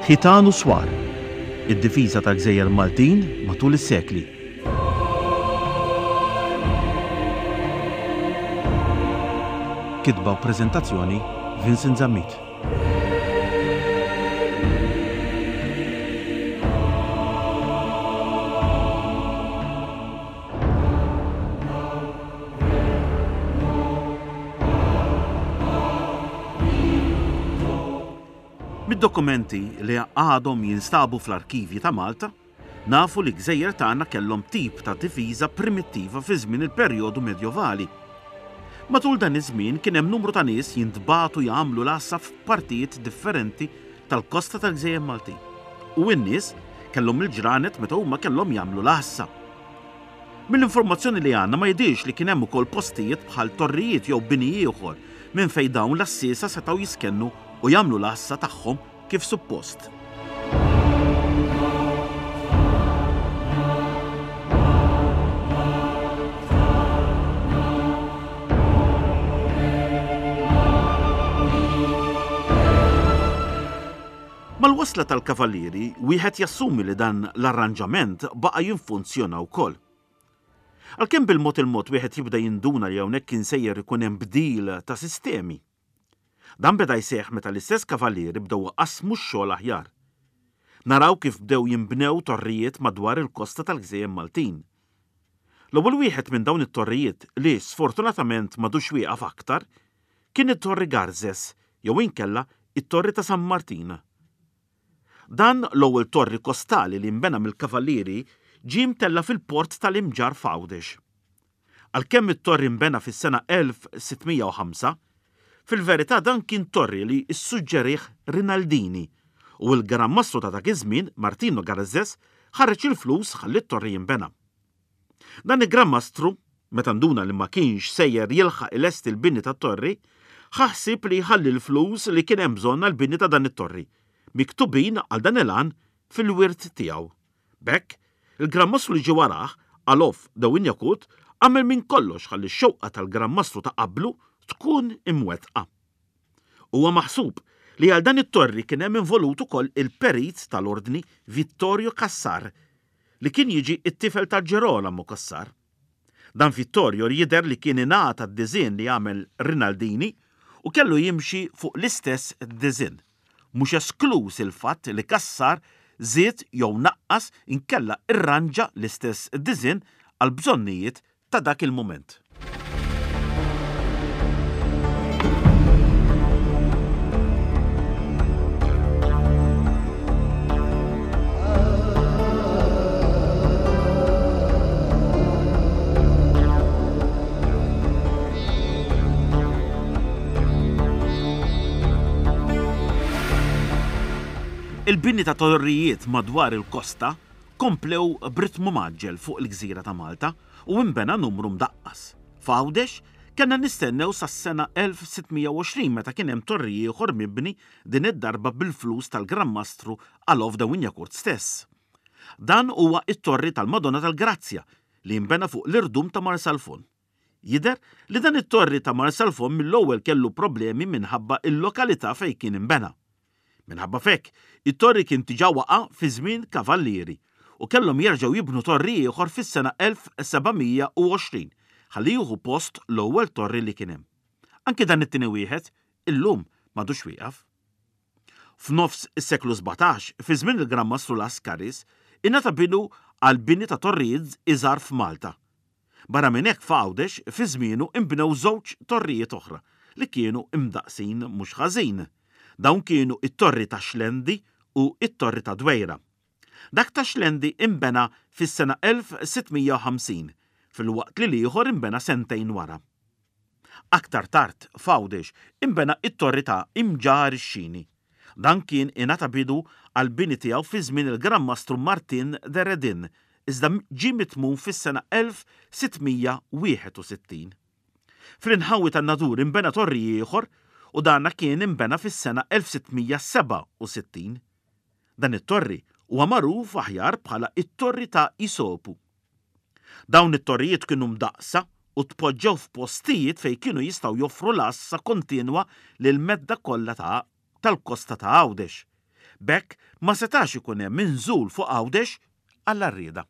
Ħitan u Swar, id-difiża tal-gżejjer Maltin matul is-sekli. Kitba u preżentazzjoni Vincent Zammit. Mid-dokumenti li għadhom jinstabu fl-arkivji ta' Malta, nafu li gżejjer tagħna kellhom tip ta' difiża primittiva fi żmien il-perjodu medjovali. Matul dan iż-żmien kien hemm numru ta' nies jintbagħtu jagħmlu l-għassa f'partijiet differenti tal-kosta tal-gżejjer Maltin. U n-nies kellhom il-ġranet meta huma kellhom jagħmlu l-għassa. Mill-informazzjoni li għandna ma jidhirx li kien hemm ukoll postijiet bħal torrijiet jew bini ieħor minn fejn dawn l-għassiesa setgħu jiskennu u jagħmlu l-għassa tagħhom kif suppost. Mal-wasla tal-Kavallieri, wieħed jassumi li dan l-arranġament baqa' jinfunzjona wkoll. Għalkemm bil-mod il-mod wieħed jibda jinduna li hawnhekk kien sejjer ikun hemm bdil ta' sistemi. Dan beda jseħħ meta l-istess Kavallieri bdew iqassmu x-xogħol aħjar. Naraw kif bdew jinbnew torrijiet madwar il-kosta tal-gżejjer Maltin. L-ewwel wieħed minn dawn it-torrijiet li sfortunatament m'għadux wieqaf aktar kien it-Torri Garzes jew inkella it-Torri ta' San Martin. Dan l-ewwel torri kostali li nbena mill-Kavallieri ġie mtella' fil-port tal-Imġarr f'Għawdex. Għalkemm it-torri nbena fis-sena 1605, fil-verità dan kien torri li ssuġġerih Rinaldini u l-Gran Mastru ta' dak iż-żmien, Martino Garzes, ħareġ il-flus ħalli t-torri jinbena. Dan il-Gran Mastru, meta nduna li ma kienx sejjer jilħaq ilesti l-bini tat-torri, ħa ħsieb li jħalli l-flus li kien hemm bżonn għall-bini ta' dan it-torri, miktubin għal dan il-għan fil-wirt tiegħu. B'hekk, il-Gran Mastru li ġie warah, Alof de Wignacourt, għamel minn kollox ħalli x-xewqa tal-Gran Mastru ta' qablu tkun imwettqa. Huwa maħsub li għal dan it-torri kien hemm involut ukoll il-perit tal-Ordni Vittorio Cassar, li kien jiġi t-tifel ta' Gerolamo Cassar. Dan Vittorio jidher li kien ingħata d-diżinn li għamel Rinaldini u kellu jimxi fuq l-istess diżinn. Mhux eskluż il-fatt li Cassar żied jew naqqas inkella irranġa l-istess diżinn għall-bżonnijiet ta' dak il-mument. Il-bini ta' torrijiet madwar il-kosta komplew b'ritmu mgħaġġel fuq il-gżira ta' Malta u inbena numru mdaqqas. F'Għawdex, kellna nistennew sas-sena 1620 meta kien hemm torri ieħor mibni din id-darba bil-flus tal-Gran Mastru Alof de Wignacourt stess. Dan huwa t-Torri tal-Madonna tal-Grazzja li inbena fuq l-irdum ta' Marsalforn. Jidher li dan it-torri ta' Marsalforn mill-ewwel kellu problemi minħabba l-lokalità fejn kien inbena. Minħabba f'hekk, it-torri kien diġà waqa' fi żmien Kavallieri u kellhom jerġgħu jibnu torri ieħor fis-sena 1720 ħalli jieħu post l-ewwel torri li kien hemm. Anki dan it-tieni wieħed, illum m'għadux wieqaf. F'nofs is-seklu 17, fi żmien il-Gran Mastru Lascaris, ingħata bidu għall-bini ta' torrijiet iżgħar f'Malta. Barra minn hekk f'Għawdex fi żmienu inbnew żewġ torrijiet oħra li kienu imdaqqsin mhux ħażin. Dawn kienu t-Torri ta' Xlendi u t-Torri ta' Dwejra. Dak ta' Xlendi inbena fis-sena 1650 filwaqt li l-ieħor inbena sentejn wara. Aktar tard f'Għawdex inbena t-Torri ta' Imġarr ix-Xini. Dan kien ingħata bidu għall-bini tiegħu fi żmien il-Gran Mastru Martin de Redin, iżda ġie mitmum fis-sena 1661. Fl-inħawi tan-Nadur inbena torri ieħor u dana kien inbena fis-sena 1667. Dan it-torri huwa magħruf aħjar bħala t-Torri ta' Isopu. Dawn it-torrijiet kienu mdaqqsa u tpoġġew f'postijiet fejn kienu jistgħu joffru l-għassa kontinwa lill-medda kollha ta' tal-kosta ta' Għawdex. B'hekk ma setax ikun hemm inżul fuq Għawdex għall-għarrieda.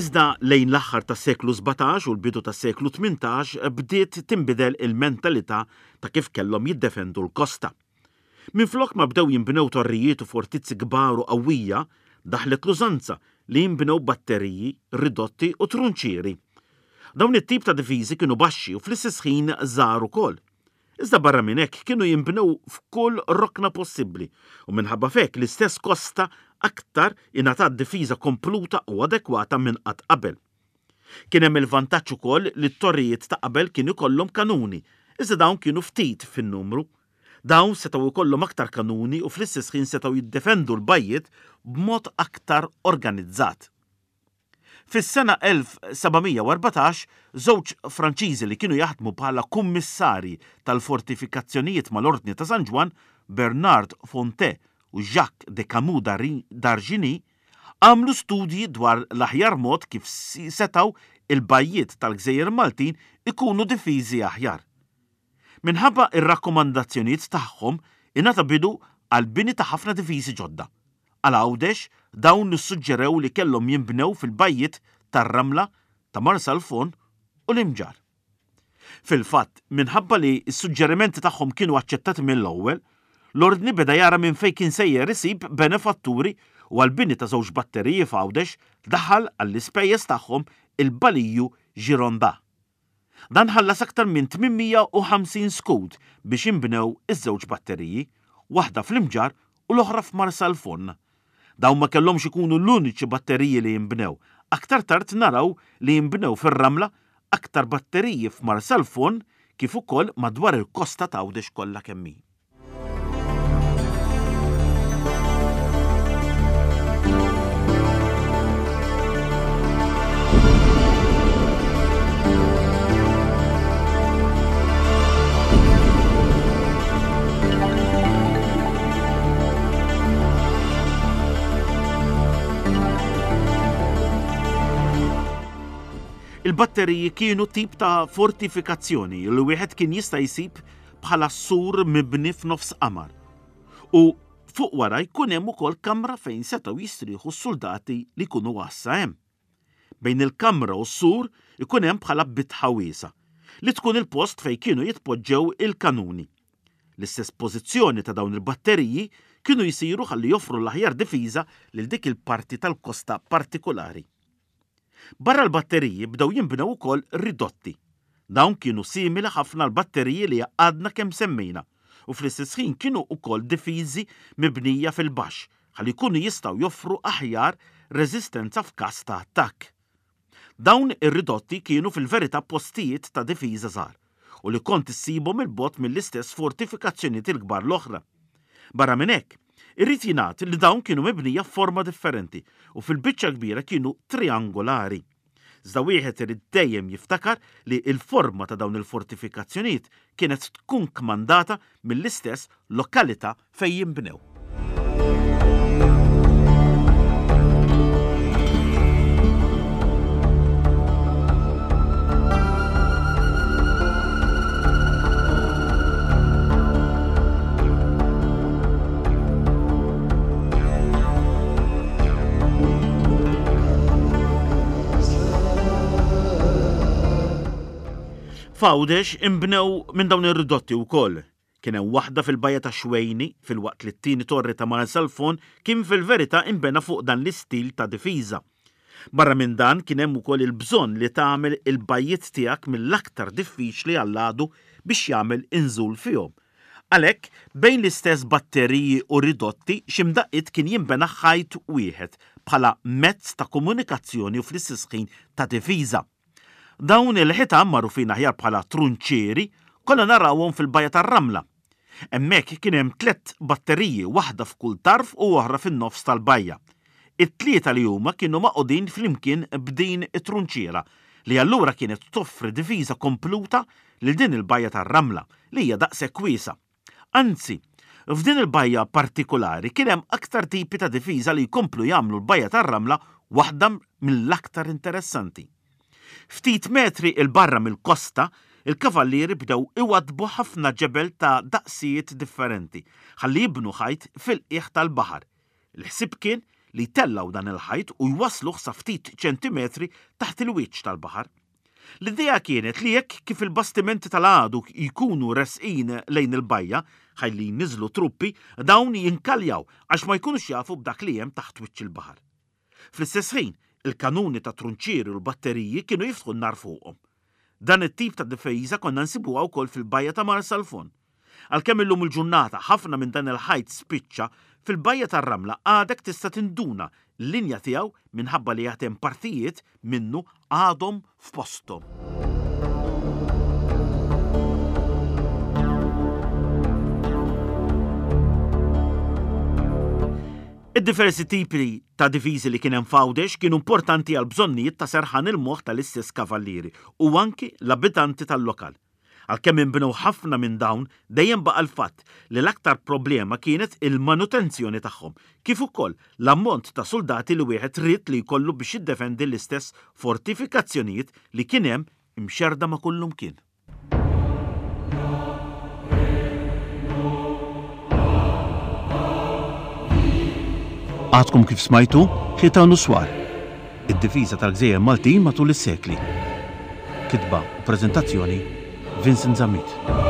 Iżda lejn l-aħħar tas-seklu 17 u l-bidu tas-seklu 18 bdiet tinbidel il-mentalità ta' kif kellhom jiddefendu l-kosta. Minflok ma bdew jinbnew torrijiet u fortizzi kbar u qawwija, daħlet l-użanza li jinbnew batteriji, ridotti u trunċieri. Dawn it-tip ta' difiżi kienu baxxi u fl-istess ħin żgħar ukoll. Iżda barra minn hekk kienu jinbnew f'kull rokna possibbli u minħabba f'hekk l-istess kosta aktar ingħatat difiża kompluta u adekwata minn qatt qabel. Kien hemm il-vantaġġ ukoll li t-torrijiet ta' qabel kien ikollhom kanuni, iżda dawn kienu ftit fin-numru. Dawn setgħu jkollhom aktar kanuni u fl-istess ħin setgħu jiddefendu l-bajjiet b'mod aktar organizzat. Fis-sena 1714, żewġ Franċiżi li kienu jaħdmu bħala kummissarji tal-fortifikazzjonijiet mal-Ordni ta' San Ġwann, Bernard Fonte u Jacques de Camus d'Argigny, għamlu studji dwar l-aħjar mod kif setgħu il-bajjiet tal-gżejjer Maltin ikunu difiżi aħjar. Minħabba r-rakkomandazzjonijiet tagħhom, ingħata bidu għall-bini ta' ħafna difiżi ġodda. Għal Għawdex, dawn issuġġerew li kellhom jinbnew fil-bajjiet tar-Ramla, ta' Marsalforn u l-Imġarr. Fil-fatt, minħabba li s-suġġerimenti tagħhom kienu aċċettati mill-ewwel, l-Ordni beda jara minn fejn kien sejjer isib benefatturi u għall-bini ta' żewġ batteriji f'Għawdex daħal għall-ispejjeż tagħhom il-Baliju Gironda. Dan ħallas aktar minn 850 skud biex inbnew iż-żewġ batteriji, waħda fl-Imġarr u l-oħra f'Marsalforn. Dawn ma kellhomx ikunu l-uniċi batteriji li inbnew. Aktar tard naraw li inbnew fir-Ramla aktar batteriji f'Marsalforn kif ukoll madwar il-kosta t'Għawdex kollha kemm hi. Il-batteriji kienu tip ta' fortifikazzjoni li wieħed kien jista' jsib bħala sur mibni f'nofs qamar. U fuq wara jkun hemm ukoll kamra fejn setgħu jistrieħu s-suldati li jkunu għassa hemm. Bejn il-kamra u s-sur ikun hemm bħala bitħa wiesgħa, li tkun il-post fejn kienu jitpoġġew il-kanuni. L-istess pożizzjoni ta' dawn il-batteriji kienu jsiru ħalli joffru l-aħjar difiża lil dik il-parti tal-kosta partikulari. Barra l-batteriji bdew jinbnew ukoll ridotti. Dawn kienu simili ħafna għall-batteriji li għadna kemm semmejna u fl-istess ħin kienu wkoll difiżi mibnija fil-baxx ħalli jkunu jistgħu joffru aħjar reżistenza f'każ ta' attakk. Dawn ir-ridotti kienu fil-verità postijiet ta' difiża żgħar u li kont issibhom 'il bogħod mill-istess fortifikazzjonijiet il-kbar l-oħra. Barra minn hekk, irid jingħad li dawn kienu mibnija f'forma differenti u fil-biċċa l-kbira kienu triangolari. Iżda wieħed irid dejjem jiftakar li l-forma ta' dawn il-fortifikazzjonijiet kienet tkun kmandata mill-istess lokalità fejn jinbnew. F'Għawdex inbnew minn dawn ir-ridotti wkoll. Kien hemm waħda fil-Bajja tax-Xwejni, filwaqt li t-tieni torri ta' Marsalforn kien fil-verità inbena fuq dan l-istil ta' difiża. Barra minn dan kien hemm ukoll il-bżonn li tagħmel il-bajjiet tiegħek mill-aktar diffiċli għall-għadu biex jagħmel inżul fihom. Għalhekk, bejn l-istess batteriji u ridotti xi mdaqqiet kien jinbena ħajt wieħed bħala mezz ta' komunikazzjoni u fl-istess ħin ta' difiża. Dawn il-ħitan, magħrufin aħjar bħala trunċieri, konna narawhom fil-Bajja tar-Ramla. Hemmhekk kien hemm tlett batteriji, waħda f'kull tarf u oħra fin-nofs tal-bajja. It-tlieta li huma kienu magħqudin flimkien b'din it-trunċiera li allura kienet toffri difiża kompluta lil din il-bajja tar-Ramla li hija daqshekk wiesgħa. Anzi, f'din il-bajja partikulari kien hemm aktar tipi ta' difiża li jkomplu jagħmlu l-bajja tar-Ramla waħda mill-aktar interessanti. Ftit metri 'l barra mill-kosta, il-kavallieri bdew iwaddbu ħafna ġebel ta' daqsijiet differenti ħalli jibnu ħajt fil-qiegħ tal-baħar. Il-ħsieb kien li jtellgħu dan il-ħajt u jwassluh sa ftit ċentimetri taħt il-wiċċ tal-baħar. L-idea kienet li hekk kif il-bastimenti tal-għadu jkunu resqin lejn il-bajja, ħalli jniżżlu truppi, dawn jinkaljaw għax ma jkunux jafu b'dak li hemm taħt wiċċ il-baħar. Fl-istess ħin, il-kanuni tat-trunċieri u l-batteriji kienu jiftħu n-nar fuqhom. Dan it-tip ta' difiża konna nsibuha wkoll fil-bajja ta' Marsalforn. Għalkemm illum il-ġurnata ħafna minn dan il-ħajt spiċċa, fil-bajja tar-Ramla għadek tista' tinduna l-linja tiegħu minħabba li għad hemm partijiet minnu għadhom f'posthom. Id-diversi tipi ta' difiżi li kien hemm f'Għawdex kienu importanti għall-bżonnijiet ta' serħan il-moħħ tal-istess kavallieri u anki l-abitanti tal-lokal. Għalkemm inbnew ħafna minn dawn, dejjem baqa' l-fatt li l-aktar problema kienet il-manutenzjoni tagħhom, kif ukoll l-ammont ta' suldati li wieħed ried li jkollu biex jiddefendi l-istess fortifikazzjonijiet li kien hemm imxerrda ma' kullumkien. Għadkom kif smajtu Ħitan u Swar, id-difiża tal-gżejjer Maltin matul is-sekli. Kitba u preżentazzjoni Vincent Zammit.